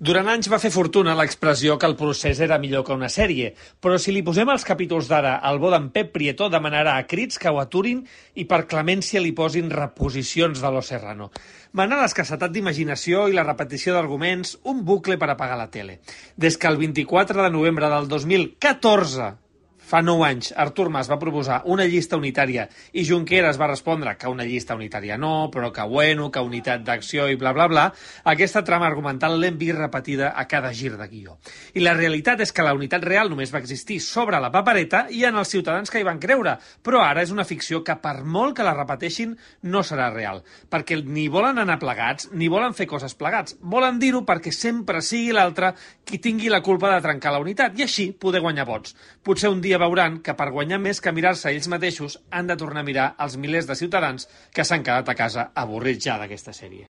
Durant anys va fer fortuna l'expressió que el procés era millor que una sèrie, però si li posem els capítols d'ara, el bo d'en Pep Prieto demanarà a crits que ho aturin i per clemència li posin reposicions de Los Serrano. Mana l'escassetat d'imaginació i la repetició d'arguments, un bucle per apagar la tele. Des que el 24 de novembre del 2014, fa 9 anys, Artur Mas va proposar una llista unitària i Junqueras va respondre que una llista unitària no, però que bueno, que unitat d'acció i bla bla bla, aquesta trama argumental l'hem vist repetida a cada gir de guió. I la realitat és que la unitat real només va existir sobre la papereta i en els ciutadans que hi van creure, però ara és una ficció que per molt que la repeteixin no serà real, perquè ni volen anar plegats ni volen fer coses plegats, volen dir-ho perquè sempre sigui l'altre qui tingui la culpa de trencar la unitat i així poder guanyar vots. Potser un dia veuran que per guanyar més que mirar-se ells mateixos han de tornar a mirar els milers de ciutadans que s'han quedat a casa avorrits ja d'aquesta sèrie.